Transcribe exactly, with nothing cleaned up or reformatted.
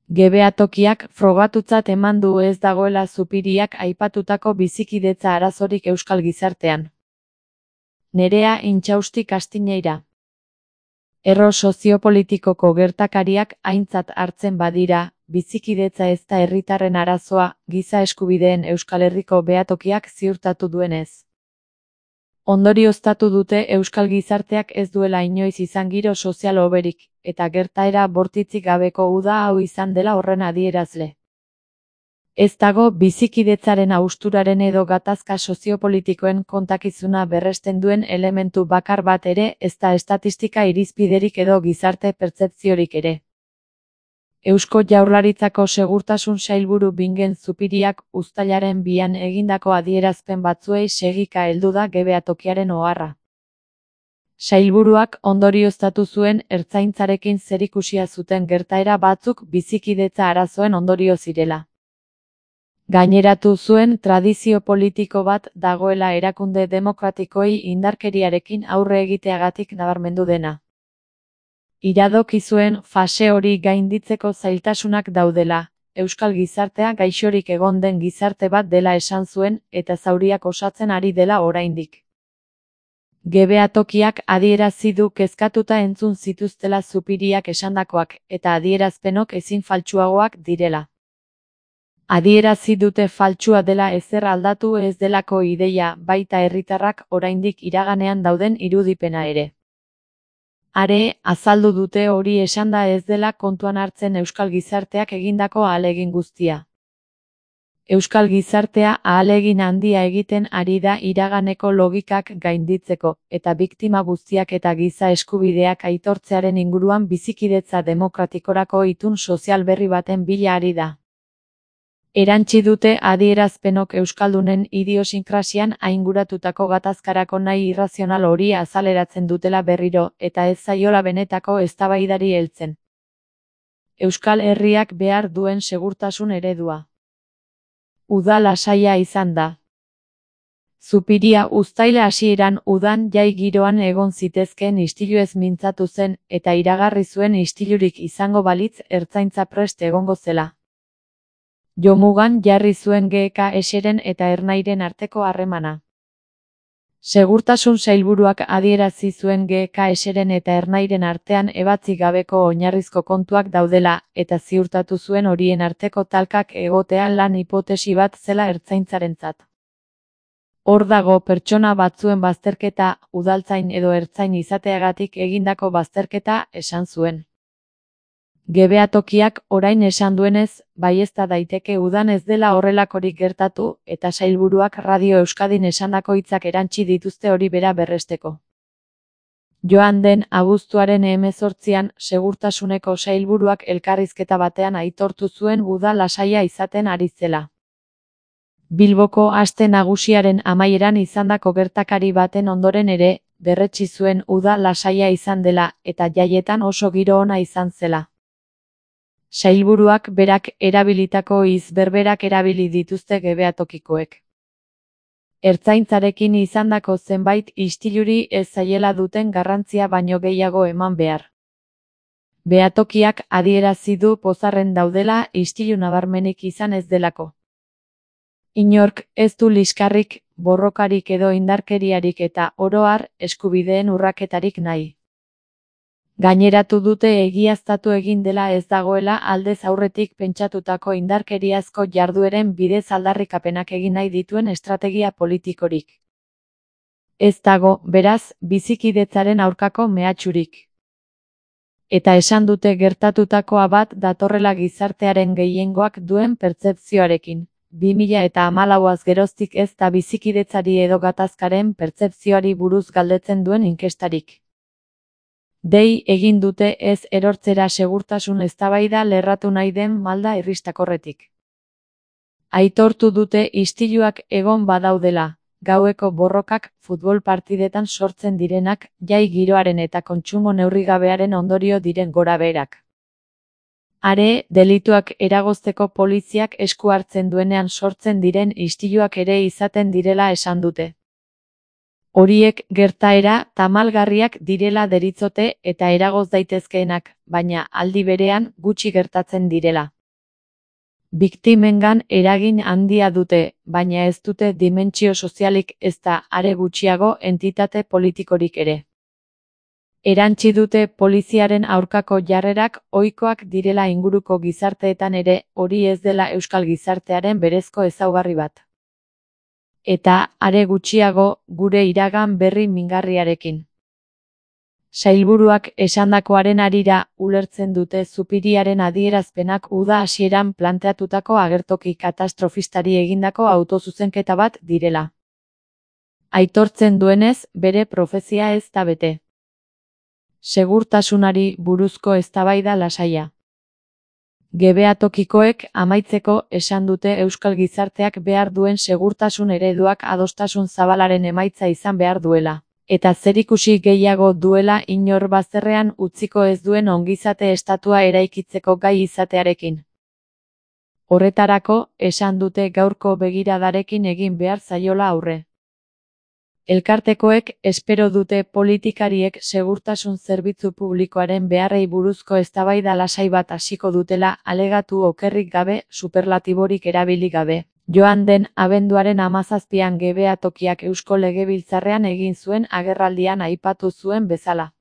Gebeatokiak frogatutzat eman du ez dagoela Zupiriak aipatutako bizikidetza arazorik euskal gizartean. Nerea Intxausti Kastiñeira. Erro soziopolitikoko gertakariak aintzat hartzen badira, bizikidetza ez da herritarren arazoa, giza eskubideen Euskal Herriko behatokiak ziurtatu duenez. Ondorioztatu dute euskal gizarteak ez duela inoiz izan giro sozial hoberik, eta gertaera bortitzik gabeko uda hau izan dela horren adierazle. Ez dago bizikidetzaren hausturaren edo gatazka soziopolitikoen kontakizuna berresten duen elementu bakar bat ere, ez da estatistika irizpiderik edo gizarte pertzepziorik ere. Eusko Jaurlaritzako Segurtasun Sailburu Bingen Zupiriak uztailaren bian egindako adierazpen batzuei segika heldu da gebeatokiaren oharra. Sailburuak ondorioztatu zuen ertzaintzarekin zerikusia zuten gertaera batzuk bizikidetza arazoen ondorio zirela. Gaineratu zuen tradizio politiko bat dagoela erakunde demokratikoei indarkeriarekin aurre egiteagatik nabarmendu dena. Iradoki zuen fase hori gainditzeko zailtasunak daudela, euskal gizartea gaixorik egon den gizarte bat dela esan zuen eta zauriak osatzen ari dela oraindik. Gebeatokiak adierazi du kezkatuta entzun zituztela Zupiriak esandakoak eta adierazpenok ezin faltsuagoak direla. Adierazi dute faltsua dela ezer aldatu ez delako ideia, baita herritarrak oraindik iraganean dauden irudipena ere. Are, azaldu dute hori esanda ez dela kontuan hartzen euskal gizarteak egindako ahalegin guztia. Euskal gizartea ahalegin handia egiten ari da iraganeko logikak gainditzeko, eta biktima guztiak eta giza eskubideak aitortzearen inguruan bizikidetza demokratikorako itun sozial berri baten bila ari da. Erantsi dute adierazpenok euskaldunen idiosinkrasian ainguratutako gatazkarako nahi irrazional hori azaleratzen dutela berriro, eta ez zaiola benetako eztabaidari heltzen. Euskal Herriak behar duen segurtasun eredua. Uda lasaia izan da. Zupiria uztaila hasieran udan jai giroan egon zitezkeen istiluez mintzatu zen, eta iragarri zuen istilurik izango balitz ertzaintza prest egongo zela. Jomugan jarri zuen G K S-ren eta Ernairen arteko harremana. Segurtasun sailburuak adierazi zuen G K S-ren eta Ernairen artean ebatzi gabeko oinarrizko kontuak daudela, eta ziurtatu zuen horien arteko talkak egotea lan hipotesi bat zela ertzaintzarentzat. Hor dago pertsona batzuen bazterketa, udaltzain edo ertzain izateagatik egindako bazterketa, esan zuen. Gebeatokiak orain esan duenez, baiezta daiteke udan ez dela horrelakorik gertatu, eta sailburuak Radio Euskadin esandako hitzak erantsi dituzte hori bera berresteko. Joan den abuztuaren hemezortzian, segurtasuneko sailburuak elkarrizketa batean aitortu zuen uda lasaia izaten ari zela. Bilboko aste nagusiaren amaieran izandako gertakari baten ondoren ere, berretsi zuen uda lasaia izan dela, eta jaietan oso giro ona izan zela. Sailburuak berak erabilitako hitz berberak erabili dituzte gebeatokikoek. Ertzaintzarekin izandako zenbait istiluri ez zaiela duten garrantzia baino gehiago eman behar. Behatokiak adierazi du pozarren daudela istilu nabarmenik izan ez delako. Inork ez du liskarrik, borrokarik edo indarkeriarik eta oro har eskubideen urraketarik nahi. Gaineratu dute egiaztatu egin dela ez dagoela aldez aurretik pentsatutako indarkeriazko jardueren bidez aldarrikapenak egin nahi dituen estrategia politikorik. Ez dago, beraz, bizikidetzaren aurkako mehatxurik. Eta esan dute gertatutakoa bat datorrela gizartearen gehiengoak duen pertzepzioarekin. bi mila eta hamalauaz geroztik ez da bizikidetzari edo gatazkaren pertzepzioari buruz galdetzen duen inkestarik. Dei egin dute ez erortzera segurtasun eztabaida lerratu nahi den malda irristakorretik. Aitortu dute istiluak egon badaudela, gaueko borrokak, futbol partidetan sortzen direnak, jai giroaren eta kontsumo neurrigabearen ondorio diren gorabeherak. Are, delituak eragozteko poliziak esku hartzen duenean sortzen diren istiluak ere izaten direla esan dute. Horiek gertaera tamalgarriak direla deritzote eta eragoz daitezkeenak, baina aldi berean gutxi gertatzen direla. Biktimengan eragin handia dute, baina ez dute dimentsio sozialik ezta are gutxiago entitate politikorik ere. Erantsi dute poliziaren aurkako jarrerak ohikoak direla inguruko gizarteetan ere, hori ez dela euskal gizartearen berezko ezaugarri bat. Eta, are gutxiago, gure iragan berri mingarriarekin. Sailburuak esandakoaren harira, ulertzen dute Zupiriaren adierazpenak uda hasieran planteatutako agertoki katastrofistari egindako autozuzenketa bat direla. Aitortzen duenez, bere profezia ez da bete. Segurtasunari buruzko eztabaida lasaia. Gebeatokikoek amaitzeko esan dute euskal gizarteak behar duen segurtasun ereduak adostasun zabalaren emaitza izan behar duela, eta zerikusi gehiago duela inor bazterrean utziko ez duen ongizate estatua eraikitzeko gai izatearekin. Horretarako, esan dute gaurko begiradarekin egin behar zaiola aurre. Elkartekoek espero dute politikariek segurtasun zerbitzu publikoaren beharrei buruzko eztabaida lasai bat hasiko dutela alegatu okerrik gabe, superlatiborik erabili gabe. Joan den abenduaren hamazazpian Gebeatokiak Eusko Legebiltzarrean egin zuen agerraldian aipatu zuen bezala.